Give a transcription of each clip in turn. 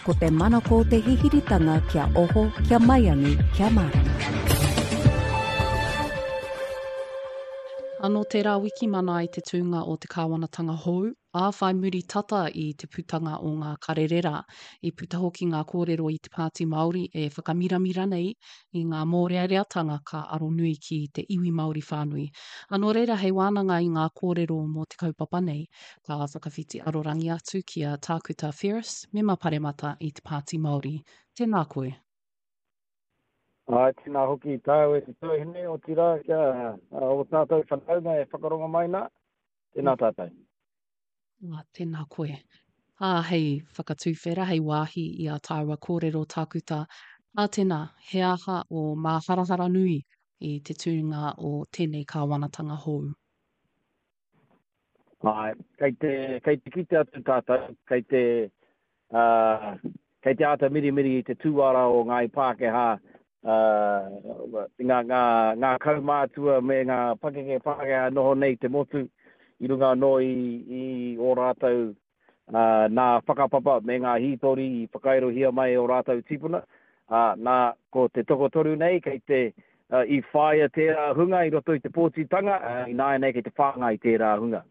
Ko te manako o te hihiritanga kia oho, kia maiangi, kia mārama. Anō tērā wiki mana ai te tūnga o te kāwanatanga hou, ā, whai muri tata i te putanga o ngā karere rā. I puta hoki ngā kōrero i te Pāti Māori e whakamiramira nei i ngā mōreareatanga ka aro nui ki te iwi Māori whānui. Ā, nō reira hei wānanga i ngā kōrero mō te kaupapa nei, Ka whakawhiti arorangi atu ki a Tākuta Ferris, Mema Paremata i te Pāti Māori. Tēnā koe. Āe, tēnā hoki tāu e te tuahine, otirā kia ō tātou whanaunga e whakarongo mai nā, tēnā tātou. Ā, tēnā koe. Ā, hei whakatuwhera, hei wāhi i ā tāua kōrero tākuta, ā tēnā, he aha ō māharahara nui i te tūnga o tēnei kāwanatanga hou? Āe, kei te, kei te kite atu tātou, kei te, ā, kei te āta mirimiri i te tūara o ngāi Pākehā, ā, ngā, ngā, ngā kaumātua me ngā pakeke Pākehā noho nei i te motu, i runga anō i, i ō rātou, ā, nā whakapapa me ngā hītori i whakairohia mai e ō rātou tīpuna, ā, nā, ko te tokotoru nei kei te, ā, i whāia tērā hunga i roto i te pōtitanga, ā, ināianei kei te whāngai tērā hunga.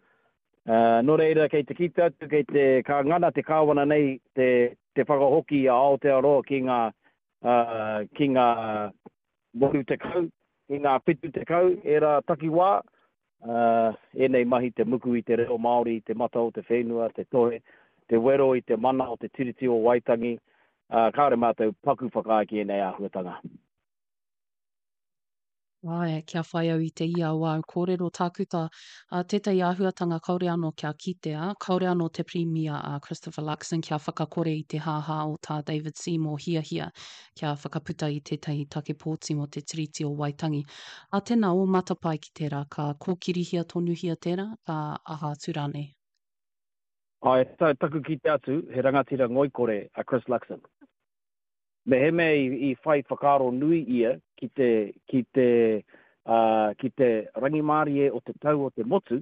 Ā, nō reira, kei te kite atu, kei te, ka ngana te Kāwana nei te, te whakahoki i a Aotearoa ki ngā, ā, ki ngā 80, ki ngā 70, ērā takiwā, ā, ēnei mahi te muku i te reo Māori, te mata o te whenua, te tohe, te wero i te mana o te Tiriti o Waitangi, ā, kāore mātou paku whakaae ki ēnei āhuatanga. Āe, kia whai au i te ia o āu kōrero, Tākuta, ā, tētahi āhuatanga kāore anō kia kitea, kāore anō te Pirimia a Christopher Luxon kia whakakore i te hāhā o tā David Seymour hiahia kia whakaputa i tētahi take pōti mō te Tiriti o Waitangi. Ā, tēnā, ō matapae ki tērā, ka kōkirihia tonuhia tērā, ka aha atu rānei? Āe, taku kite atu, he rangatira ngoikore a Chris Luxon. Mehemea i whai whakaaro nui ia ki te, ki te, ā, ki te rangimārie o te tau o te motu,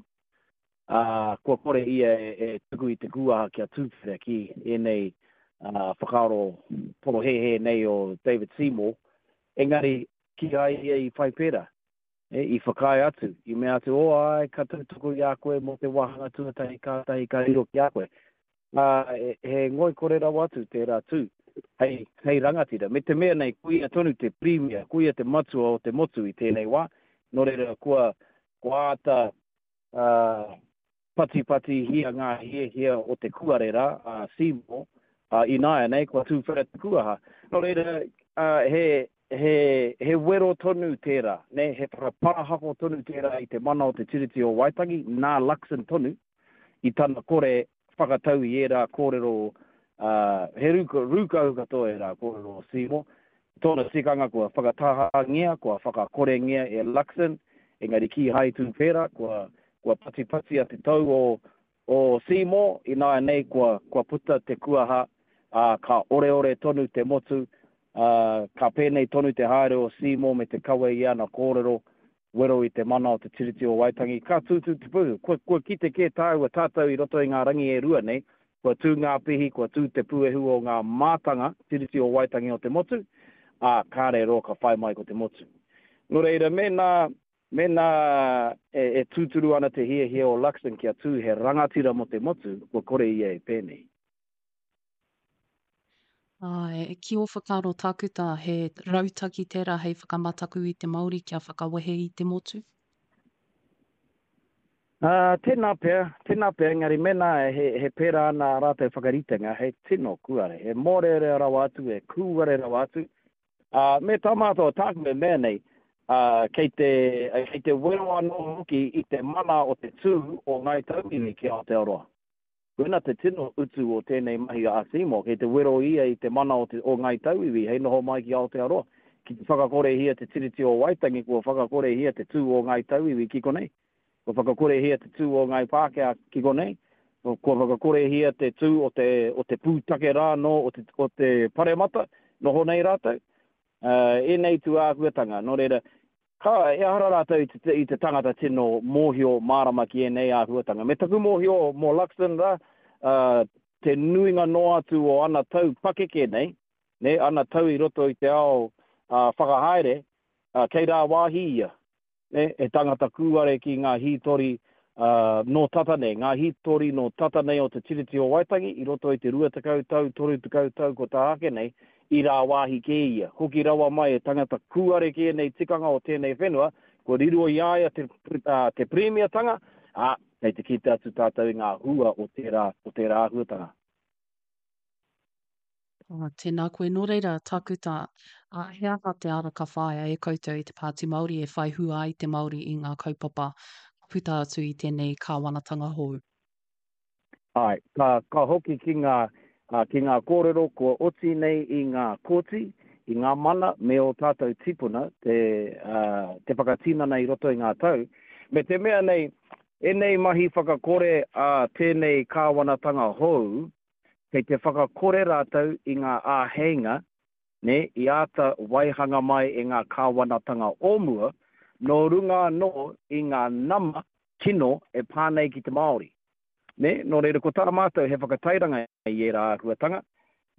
ā, kua kore ia e, e tuku i te kūaha kia tūwhera ki ēnei, ā, whakaaro porohēhē nei o David Seymour, engari kīhai ia i whai pērā. E, i whakaae atu, i mea atu, oh āe, ka tautoko i a koe mō te wāhanga tuatahi kātahi ka riro ki a koe. Ā, he ngoikore rawa atu tērā tū hei, hei rangatira. Me te mea nei, ko ia tonu te Pirimia, ko ia te matua o te motu i tēnei wā, nō reira kua, kua āta, ā, patipatihia ngā hiahia o te kuare rā, a Seymour, ā, ināianei kua tūwhera te kuaha. Nō reira, ā, he, he, he wero tonu tērā, nē, he whakaparahako tonu tērā i te mana o te Tiriti o Waitangi, nā Luxon tonu, i tana kore whakatau i ērā kōrero, ā, he rū, rūkahu katoa ērā kōrero o Seymour. Tōna tikanga kua whakatahangia, kua whakakorengia e Luxon, engari kīhai tū pērā, kua, kua patipatia te tou o, o Seymour, ināianei kua, kua puta te kuaha, ā, ka oreore tonu te motu, ā, ka pēnei tonu te haere o Seymour me te kawe i ana kōrero, wero i te mana o te Tiriti o Waitangi, ka tūtū te puehu. Kua, kua kite kē tāua, tātou i roto i ngā rangi e rua nei, kua tū ngā pihi, kua tū te puehu o ngā mātanga Tiriti o Waitangi o te motu, ā, kāre roa ka whai mai ko te motu. Nō reira, mēnā, mēnā e, e tūturu ana te hiahia o Luxon kia tū he rangatira mō te motu, kua kore ia e pēnei. Āe, ki ō whakaaro tākuta, he rautaki tērā hei whakamataku i te Māori kia whakawehe i te motu? Ā, tēnā pea, tēnā pea, engari mēnā he, he pērā ana ā rātou whakaritenga, he tino kūare, he mōrearea rawa atu, he kūare rawa atu. Ā, me tā mātou, tāku e mea nei, ā, kei te, kei te wero anō hoki i te mana o te tū o Ngāi Tauiwi ki Aotearoa. Koina te tino utu o tēnei mahi a Seymour, kei te wero ia i te mana o te o Ngāi Tauiwi hei noho mai ki Aotearoa. Ki te whakakorehia te Tiriti o Waitangi, kua whakakorehia te tū o Ngāi Tauiwi ki konei. Kua whakakorehia te tū o Ngāi Pākehā ki konei. Kua whakakorehia te tū o te, o te pūtake rā anō o te, o te paremata, noho nei rātou. Ēnei tūāhuatanga, nō reira, Ka, ehara rātou i te, i te tangata tino mōhio mārama ki ēnei āhuatanga. Me taku mōhio mō Luxon rā, ā, te nuinga noa atu o ana tau pakeke nei, nē, ana tau i roto i te ao whakahaere, kei rāwāhi ia, nē, he tangata kūare ki ngā hītori nō tata nei, ngā hītori nō tata nei o te Tiriti o Waitangi i roto i te 20 tau, 30 tau ko tā ake nei, i rāwāhi kē ia. Hoki rawa mai he tangata kūare ki ēnei tikanga o tēnei whenua, kua riro i a ia te, te Pirimiatanga, ā, kei te kite atu tātou i ngā hua o tērā, o tērā āhuatanga. Oh, tēnā koe. Nō reira, Tākuta, ā, he aha te ara ka whāia e koutou i te Pāti Māori e whai hua ai te Māori i ngā kaupapa ka puta atu i tēnei kāwanatanga hou? Āe, ka, ka hoki ki ngā, ā, ki ngā kōrero kua oti nei i ngā kōti, i ngā mana me ō tātou tīpuna te, ā, te whakatinana i roto i ngā tau. Me te mea nei, ēnei mahi whakakore a tēnei kāwanatanga hou, kei te whakakore rātou i ngā āheinga, nē, i āta waihanga mai e ngā kāwanatanga o mua, nō runga anō i ngā nama kino e pā nei ki te Māori. Nē, nō reira ko tā mātou he whakatairanga i ērā āhuatanga,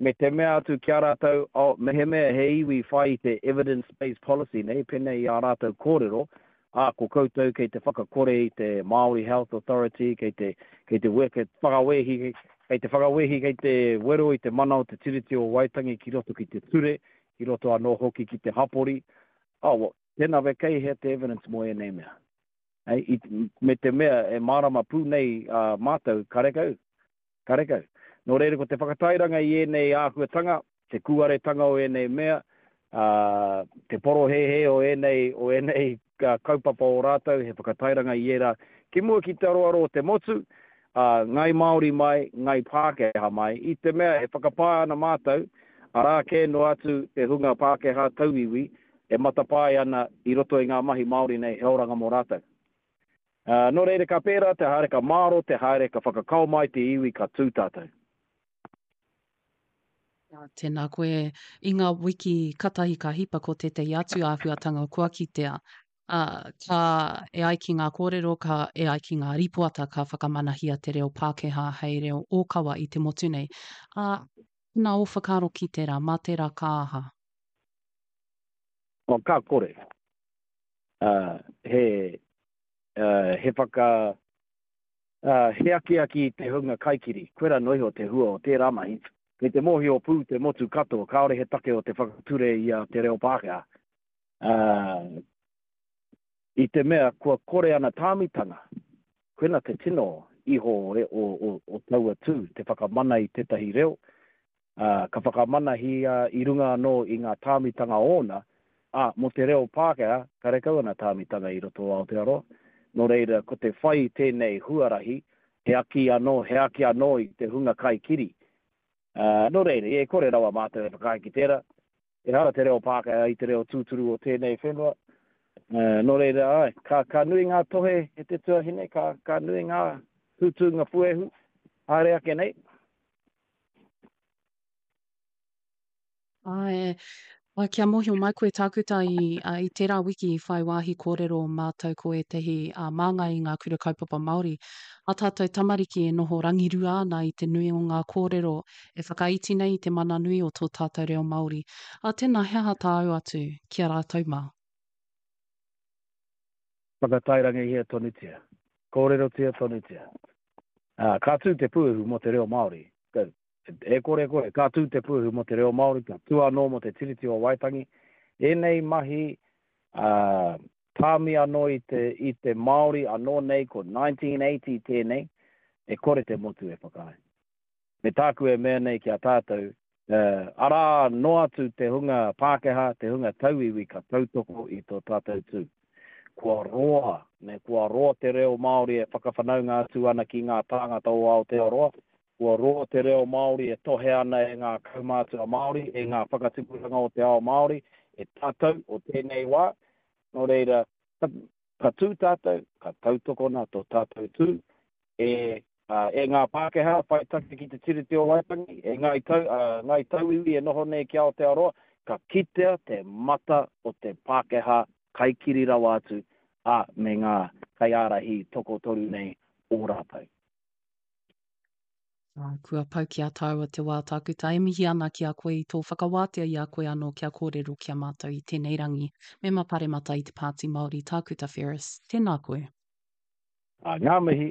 me te mea atu ki a rātou, oh, mehemea he iwi whai i te evidence-based policy, nē, pēnei i ā rātou kōrero, ā, ko koutou kei te whakakore i te Māori Health Authority, kei te, kei te weke, whakawehi, kei te whakawehi, kei te wero i te mana o te Tiriti o Waitangi ki roto ki te ture, ki roto anō hoki ki te hapori. Oh, well, tēnā we kei hea te evidence mō ēnei mea? Hei, i, me te mea e mārama pū nei a mātou, karekau, Karekau. Nō reira ko te whakatairanga i ēnei āhuatanga, te kūaretanga o ēnei mea, ā, te porohēhē o ēnei, o ēnei kaupapa o rātou, he whakatairanga i ērā ki mua ki te aroaro o te motu, ā, Ngāi Māori mai, Ngāi Pākehā mai, i te mea e whakapae ana mātou, arā kē noa atu te hunga Pākehā tauiwi e matapae ana i roto i ngā mahi Māori nei he oranga mō rātou. Ā, nō reira ka pērā te haere, ka māro te haere, ka whakakao mai te iwi, ka tū tātou. Ā, tēnā koe. I ngā wiki katahi ka hipa ko tētahi atu āhuatanga kua kitea. Ā, ka, e ai ki ngā kōrero, ka, e ai ki ngā rīpoata ka whakamanahia te reo Pākehā hei reo ōkawa i te motu nei. Ā, tēnā ō whakaaro ki tērā, mā tērā ka aha? Oh, ka kore. Ā, he, ā, he whaka, ā, he akiaki i te hunga kaikiri. Koirā noa iho te hua o tērā mahi. Kei te mōhio pū te motu katoa, kāore he take o te whakature i a te reo Pākehā. Ā, i te mea kua kore ana tāmitanga, koina te tino iho o, o, o, o taua tū, te whakamana i tētahi reo, ā, ka whakamanahia i runga anō i ngā tāmitanga ōna, ā, mō te reo Pākehā, karekau ana tāmitanga i roto o Aotearoa. Nō reira, ko te whai i tēnei huarahi, he aki anō, he aki anō i te hunga kaikiri. Ā, nō reira, e kore rawa mātou e whakaae ki tērā. Ehara te reo Pākehā i te reo tūturu o tēnei whenua. Ā, nō reira, āe, ka, ka nui ngā tohe e te tuahine, ka, ka nui ngā tūtūnga puehu, haere ake nei. Āe, ā, kia mōhio mai koe Tākuta i, ā, i tērā wiki i whai wāhi kōrero mātou ko ētahi, ā, māngai i ngā kura kaupapa Māori. Ā tātou tamariki e noho rangirua ana i te nui o ngā kōrero e whakaiti nei i te mana nui o tō tātou reo Māori. Ā, tēnā, he aha tāu atu ki a rātou mā? Whakatairangahia tonutia. Kōrerotia tonutia. Ā, ka tū te puehu mō te reo Māori. E kore kore, ka tū te puehu mō te reo Māori, ka tū anō mō te Tiriti o Waitangi. Ēnei mahi, ā, tāmi anō i te, i te Māori anō nei ko 1980 tēnei, e kore te motu e whakaae. Me tāku e mea nei ki a tātou, arā noa atu te hunga Pākehā, te hunga tauiwi ka tautoko i tō tātou tū. Kua roa, me kua roa te reo Māori e whakawhanaunga atu ana ki ngā tāngata o Aotearoa, kua roa te reo Māori e tohe ana e ngā kaumātua Māori, e ngā whakatipuranga o te ao Māori, e tātou o tēnei wā. Nō reira, ka, ka tū tātou, ka tautokona tō tātou tū e, e ngā Pākehā whai take ki te Tiriti o Waitangi, e ngāi, tau, ngāi tauiwi e noho nei ki Aotearoa, ka kitea te mata o te Pākehā kaikiri rawa atu, ā, me ngā kaiārahi tokotoru nei o rātou. Ā, kua pau ki a tāua te wā tākuta e mihi ana ki a koe i tō whakawātea i a koe anō kia kōrero ki a mātou i tēnei rangi. Mema Paremata i te Pāti Māori Tākuta Ferris, tēnā koe. Ā, ngā mihi.